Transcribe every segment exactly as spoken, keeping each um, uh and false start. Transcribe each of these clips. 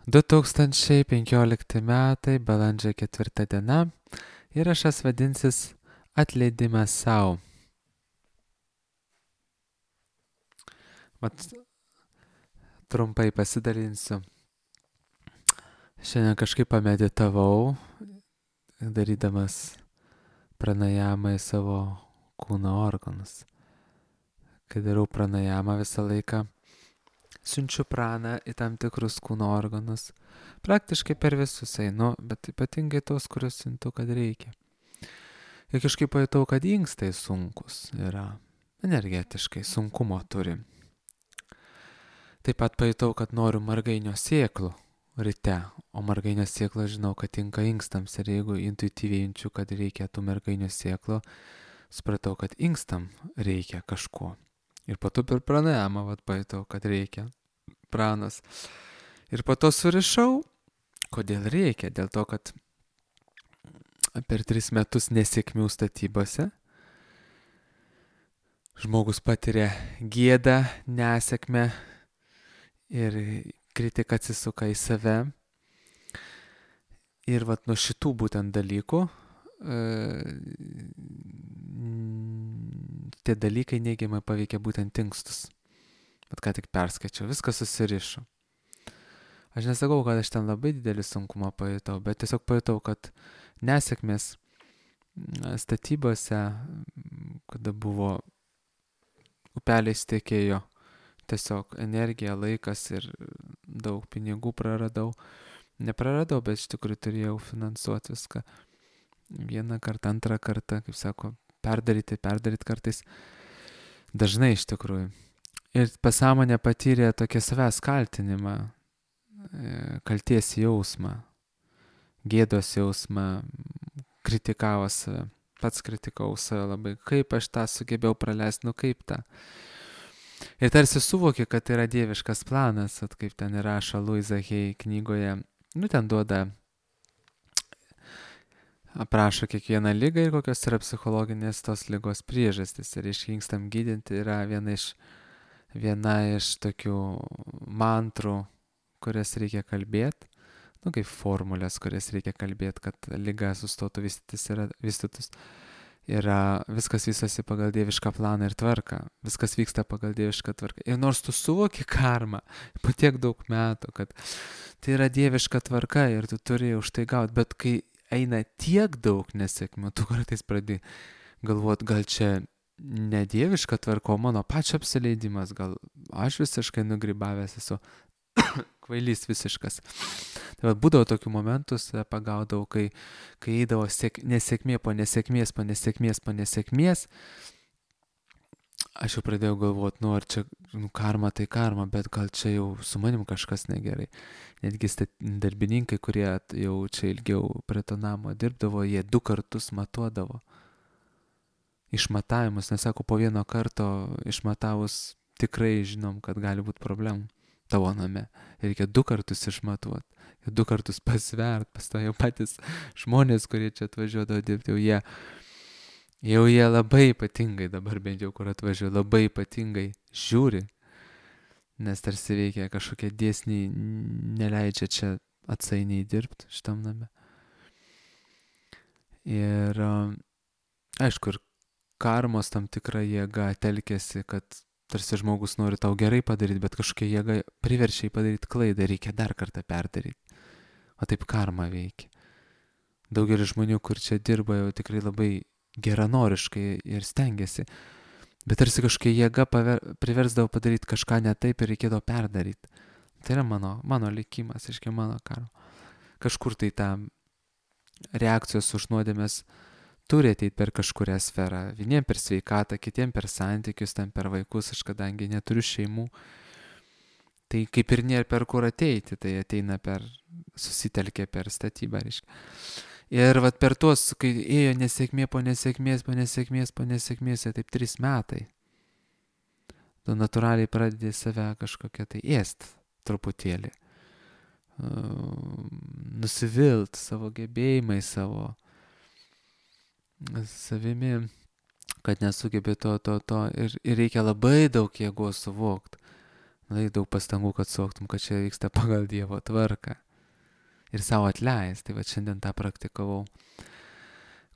du tūkstančiai penkiolikti metai, balandžio ketvirta diena. Įrašas vadinsis Atleidimas sau. Mat, trumpai pasidalinsiu. Šiandien kažkaip pameditavau, darydamas pranajamą į savo kūno organus. Kai darau pranajamą visą laiką, siunčiu praną į tam tikrus kūno organus. Praktiškai per visus einu, bet ypatingai tos, kuriuos siuntu, kad reikia. Ir kažkaip pajutau, kad inkstai sunkus yra, energetiškai sunkumo turi. Taip pat pajutau, kad noriu margainio sėklų ryte, o margainio sėklą žinau, kad tinka inkstams. Ir jeigu intuityviai jaučiu, kad reikia tų margainio sėklų, supratau, kad inkstam reikia kažko. Ir po to per pranajamą vat pajutau, kad reikia pranas. Ir po to surišau, kodėl reikia. Dėl to, kad per tris metus nesėkmių statybose žmogus patiria gėdą, nesėkmę ir kritika atsisuka į save. Ir vat nuo šitų būtent dalykų tie dalykai neigiamai paveikia būtent inkstus. Bet ką tik perskaičiau, viskas susirišo. Aš nesakau, kad aš ten labai didelį sunkumą pajutau, bet tiesiog pajutau, kad nesėkmės statybose, kada buvo upeliais tekėjo, tiesiog energija, laikas ir daug pinigų praradau. Nepraradau, bet iš tikrųjų turėjau finansuoti viską. Vieną kartą, antrą kartą, kaip sako, perdaryti, perdaryti kartais. Dažnai iš tikrųjų. Ir pasąmonė patyrė tokį savęs kaltinimą, kalties jausmą, gėdos jausmą, kritikavo save. Pats kritikau save labai. Kaip aš tą sugebėjau praleisti, nu kaip tą. Ir tarsi suvokė, kad tai yra dieviškas planas, at kaip ten įrašo Louisa Hay knygoje. Nu, ten duoda, aprašo kiekvieną ligą ir kokios yra psichologinės tos ligos priežastys. Ir iškinkstam gydinti yra viena iš, viena iš tokių mantrų, kurias reikia kalbėti. Nu, kaip formulės, kurias reikia kalbėti, kad liga sustotų vystytis ir vystytus. Yra viskas vystosi pagal dievišką planą ir tvarką. Viskas vyksta pagal dievišką tvarką. Ir nors tu suvoki karmą po tiek daug metų, kad tai yra dieviška tvarka ir tu turi už tai gauti, bet kai eina tiek daug nesėkmių, tu kartais pradedi galvoti, gal čia ne dieviška tvarka, o mano pačio apsileidimas, gal aš visiškai nugribavęs esu, kvailys visiškas. Tai va, būdavo tokių momentų, pagaudavau, kai, kai eidavo sėk, nesėkmė po nesėkmės, po nesėkmės, po nesėkmės. Aš jau pradėjau galvoti, nu ar čia nu, karma tai karma, bet gal čia jau su manim kažkas negerai. Netgi darbininkai, kurie jau čia ilgiau prie to namo dirbdavo, jie du kartus matuodavo. Išmatavimus, nesako, po vieno karto išmatavus tikrai žinom, kad gali būti problemų tavo name. Reikia du kartus išmatuoti, du kartus pasvert, pas to jau patys žmonės, kurie čia atvažiuodavo dirbti, jau jie, jau jie labai ypatingai, dabar bent jau kur atvažiuoja, labai ypatingai žiūri, nes tarsi veikia kažkokie dėsniai, neleidžia čia atsainiai dirbti šitam name. Ir aišku, ir karmos tam tikra jėga telkėsi, kad tarsi žmogus nori tau gerai padaryti, bet kažkokia jėga priverčia jį padaryti klaidą, reikia dar kartą perdaryti. O taip karma veikia. Daugelis žmonių, kur čia dirba, jau tikrai labai geranoriškai ir stengiasi, bet tarsi kažkokia jėga paver, priversdavo padaryti kažką ne taip ir reikėdavo perdaryti. Tai yra mano, mano likimas, iškia mano karma. Kažkur tai ta reakcijos už nuodėmės turi ateiti per kažkurią sferą. Vieniem per sveikatą, kitiem per santykius, ten per vaikus, aš kadangi neturiu šeimų. Tai kaip ir nėra per kur ateiti, tai ateina per, susitelkė per statybą, reiškia. Ir vat per tuos, kai ėjo nesėkmė po nesėkmės, po nesėkmės, po nesėkmės, taip trys metai. Tu natūraliai pradedi save kažkokią tai ėst truputėlį. Nusivilt savo gebėjimai, savo savimi, kad nesugebė to, to, to ir, ir reikia labai daug jėgos suvokti. Lai daug pastangų, kad suvoktum, kad čia vyksta pagal Dievo tvarką. Ir savo atleis. Tai va šiandien tą praktikavau.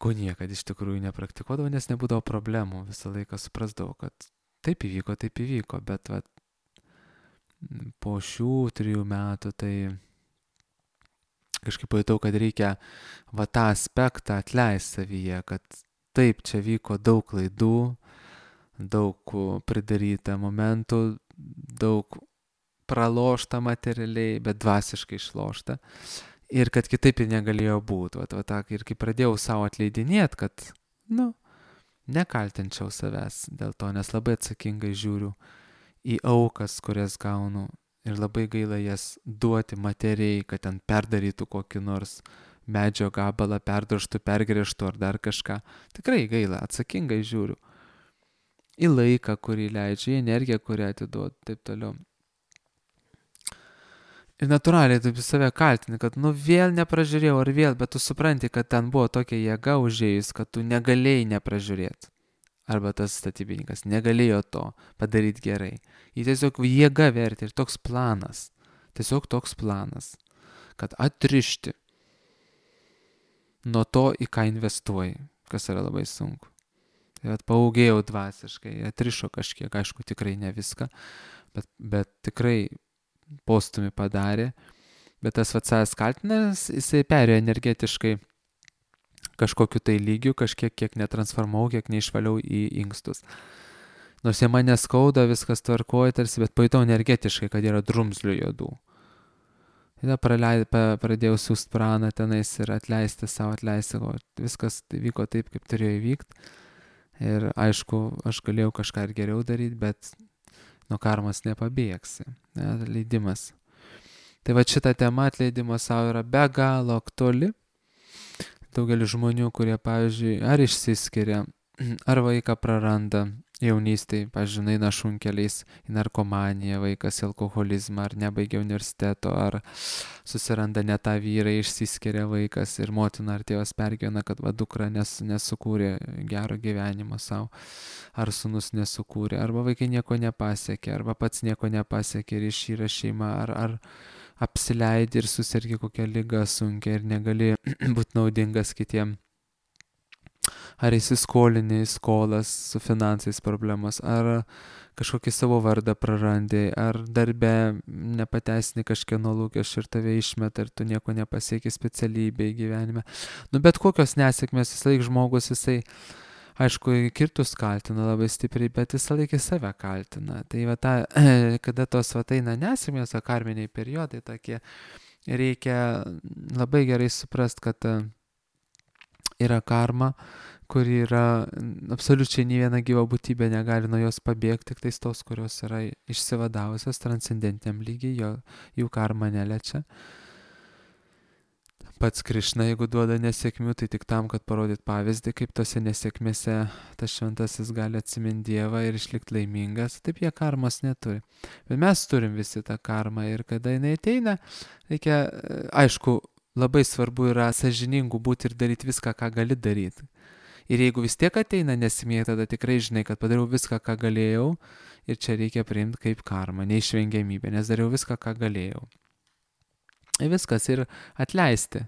Ko niekad iš tikrųjų nepraktikuodavau, nes nebūdavo problemų. Visą laiką suprasdavau, kad taip įvyko, taip įvyko. Bet va, po šių trijų metų tai kažkaip pajutau, kad reikia va tą aspektą atleisti savyje, kad taip, čia vyko daug klaidų, daug pridaryta momentų, daug pralošta materialiai, bet dvasiškai išlošta. Ir kad kitaip ir negalėjo būti. Vat, vat, ir kai pradėjau savo atleidinėti, kad, nu, nekaltinčiau savęs dėl to, nes labai atsakingai žiūriu į aukas, kurias gaunu. Ir labai gaila jas duoti materijai, kad ten perdarytų kokį nors medžio gabalą, perdroštų, pergrėžtų ar dar kažką. Tikrai gaila, atsakingai žiūriu. Į laiką, kurį leidžiu, į energiją, kurią atiduodu, taip toliau. Ir natūraliai taip save kaltini, kad nu vėl nepražiūrėjau ar vėl, bet tu supranti, kad ten buvo tokia jėga užėjus, kad tu negalėjai nepražiūrėti. Arba tas statybininkas negalėjo to padaryti gerai. Jį tiesiog jėga vertė ir toks planas, tiesiog toks planas, kad atrišti nuo to, į ką investuoji, kas yra labai sunku. Tai vat paaugėjau dvasiškai, atrišo kažkiek, aišku, tikrai ne viską, bet, bet tikrai postumį padarė, bet tas vat savęs kaltinas, jisai perėjo energetiškai kažkokiu tai lygiu, kažkiek kiek netransformau, kiek neišvaliau į inkstus. Nors jie mane skauda, viskas tvarkoja tarsi, bet pajutau energetiškai, kad yra drumzlių juodų. Tada praleid, pradėjau siūst praną tenais ir atleisti savo, atleisti, o viskas vyko taip, kaip turėjo įvykti. Ir aišku, aš galėjau kažką ir geriau daryti, bet nuo karmos nepabėgsi. Ne, atleidimas. Tai va šita tema atleidimo savo yra be galo aktuali. Daugelis žmonių, kurie, pavyzdžiui, ar išsiskiria, ar vaiką praranda jaunystėje, pavyzdžiui, eina šunkeliais į narkomaniją, vaikas į alkoholizmą, ar nebaigia universiteto, ar susiranda ne tą vyrą, išsiskiria vaikas ir motina ar tėvas pergyvena, kad va dukra nes, nesukūrė gero gyvenimo savo, ar sūnus nesukūrė, arba vaikai nieko nepasiekė, arba pats nieko nepasiekė ir išyra šeima, ar, ar apsileidi ir susirgi kokią ligą sunkią ir negali būti naudingas kitiem. Ar įsiskolini skolas su finansais problemos, ar kažkokį savo vardą prarandi, ar darbe nepateisini kažkieno lūkesčių ir tave išmeta ir tu nieko nepasieki specialybėje gyvenime. Nu bet kokios nesėkmės, visą laiką žmogus, jisai, aišku, kirtus kaltina labai stipriai, bet visą laiką save kaltina. Tai va ta, kada tos va eina nesėkmės, o karminiai periodai tokie, reikia labai gerai suprast, kad yra karma, kuri yra absoliučiai nei viena gyva būtybė negali nuo jos pabėgti, tik tais tos, kurios yra išsivadavusios transcendentiniam lygiai, jo, jų karma neliečia. Pats Krišna, jeigu duoda nesėkmių, tai tik tam, kad parodyt pavyzdį, kaip tose nesėkmėse tas šventasis gali atsiminti Dievą ir išlikti laimingas. Taip jie karmos neturi. Bet mes turim visi tą karmą ir kada jinai ateina, reikia, aišku, labai svarbu yra sąžiningų būti ir daryti viską, ką gali daryti. Ir jeigu vis tiek ateina nesėkmė, tada tikrai žinai, kad padariau viską, ką galėjau ir čia reikia priimti kaip karmą, neišvengiamybę, nes dariau viską, ką galėjau. Ir viskas, ir atleisti.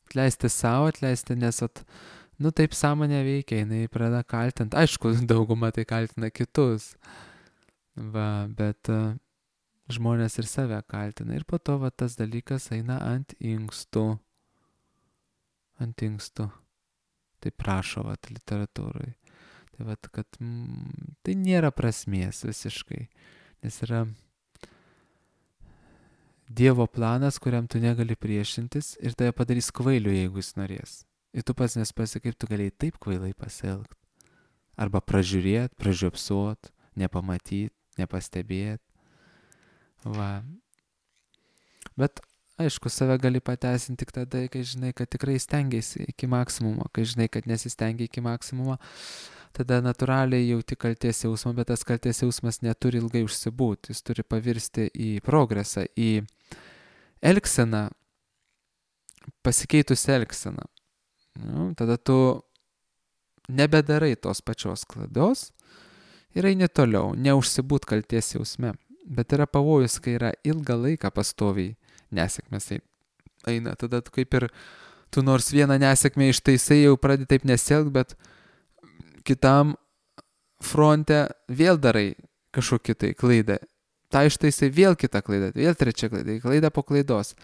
Atleisti savo, atleisti, nes at, nu taip sąmonė veikia, jinai pradeda kaltinti. Aišku, dauguma tai kaltina kitus, va, bet uh, žmonės ir save kaltina. Ir po to va, tas dalykas eina ant inkstų. Ant inkstų. Tai prašo vat, literatūrai. Tai vat, kad mm, tai nėra prasmės visiškai, nes yra Dievo planas, kuriam tu negali priešintis ir tave padarys kvailiu, jeigu jis norės. Ir tu pats nespasi, kaip tu galėjai taip kvailai pasielgti. Arba pražiūrėt, pražiopsuot, nepamatyt, nepastebėt. Va. Bet aišku, save gali pateisinti tik tada, kai žinai, kad tikrai stengiasi iki maksimumo, kai žinai, kad nesistengia iki maksimumo, tada natūraliai jauti kaltės jausmą, bet tas kaltės jausmas neturi ilgai užsibūti, jis turi pavirsti į progresą, į elgseną, pasikeitus elgseną. Nu, tada tu nebedarai tos pačios klaidos ir eini toliau, neužsibūt kaltės jausme. Bet yra pavojus, kai yra ilgą laiką pastoviai nesėkmės ein- eina. Tada tu kaip ir, tu nors vieną nesėkmę ištaisai, jau pradedi taip nesielgt, bet kitam fronte vėl darai kažkokį tai klaidą. Ta ištaisai vėl kitą klaidą, vėl trečią klaidą, klaida po klaidos.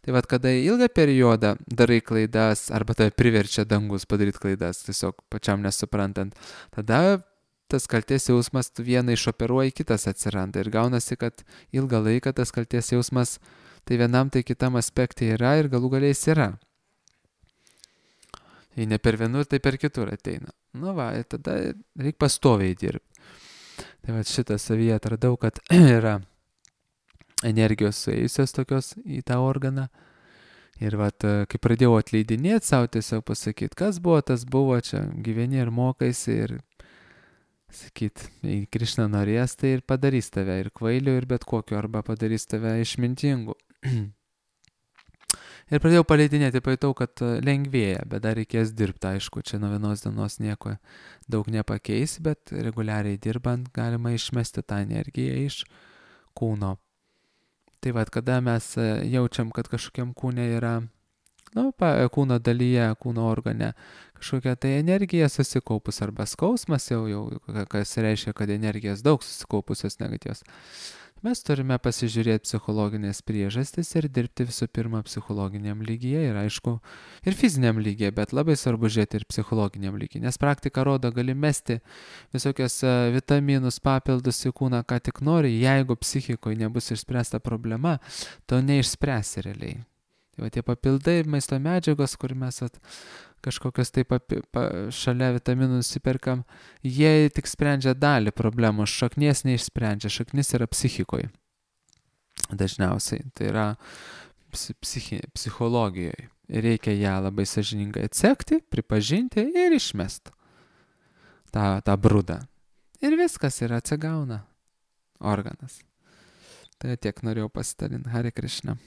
Tai vad, kada ilgą periodą darai klaidas, arba tave priverčia dangus padaryti klaidas, tiesiog pačiam nesuprantant, tada tas kalties jausmas tu vieną išoperuoji, kitas atsiranda. Ir gaunasi, kad ilgą laiką tas kalties jausmas tai vienam, tai kitam aspektai yra ir galų galiais yra. Jei ne per vienur, tai per kitur ateina. Nu va, ir tada reikia pastoviai dirbti. Tai va šitą savyje atradau, kad yra energijos suėjusios tokios į tą organą. Ir va, kai pradėjau atleidinėti savo, tiesiog pasakyti, kas buvo, tas buvo, čia gyveni ir mokaisi ir sakyti, jei Krišna norės, tai ir padarys tave ir kvailiu, ir bet kokiu, arba padarys tave išmintingu. Ir pradėjau paleidinėti, pajutau, kad lengvėja, bet dar reikės dirbti, aišku, čia nuo vienos dienos nieko daug nepakeis, bet reguliariai dirbant galima išmesti tą energiją iš kūno. Tai vad, kada mes jaučiam, kad kažkokiam kūne yra, nu, pa, kūno dalyje, kūno organe, kažkokia tai energija susikaupus arba skausmas, jau, jau kas reiškia, kad energijos daug susikaupusios negatyvios. Mes turime pasižiūrėti psichologinės priežastis ir dirbti visų pirma psichologiniam lygyje ir aišku, ir fiziniam lygyje, bet labai svarbu žiūrėti ir psichologiniam lygyje, nes praktika rodo, gali mesti visokios vitaminus, papildus į kūną, ką tik nori, jeigu psichikoje nebus išspręsta problema, to neišspręsi realiai. Tai va tie papildai, maisto medžiagos, kur mes at, kažkokios taip papi, pa, šalia vitaminų nusiperkam, jie tik sprendžia dalį problemos, šaknies neišsprendžia, šaknis yra psichikoje. Dažniausiai, tai yra psichi, psichologijoje. Ir reikia ją labai sąžiningai atsekti, pripažinti ir išmesti tą, tą brudą. Ir viskas yra atsigauna organas. Tai tiek norėjau pasidalinti. Hare Krishna.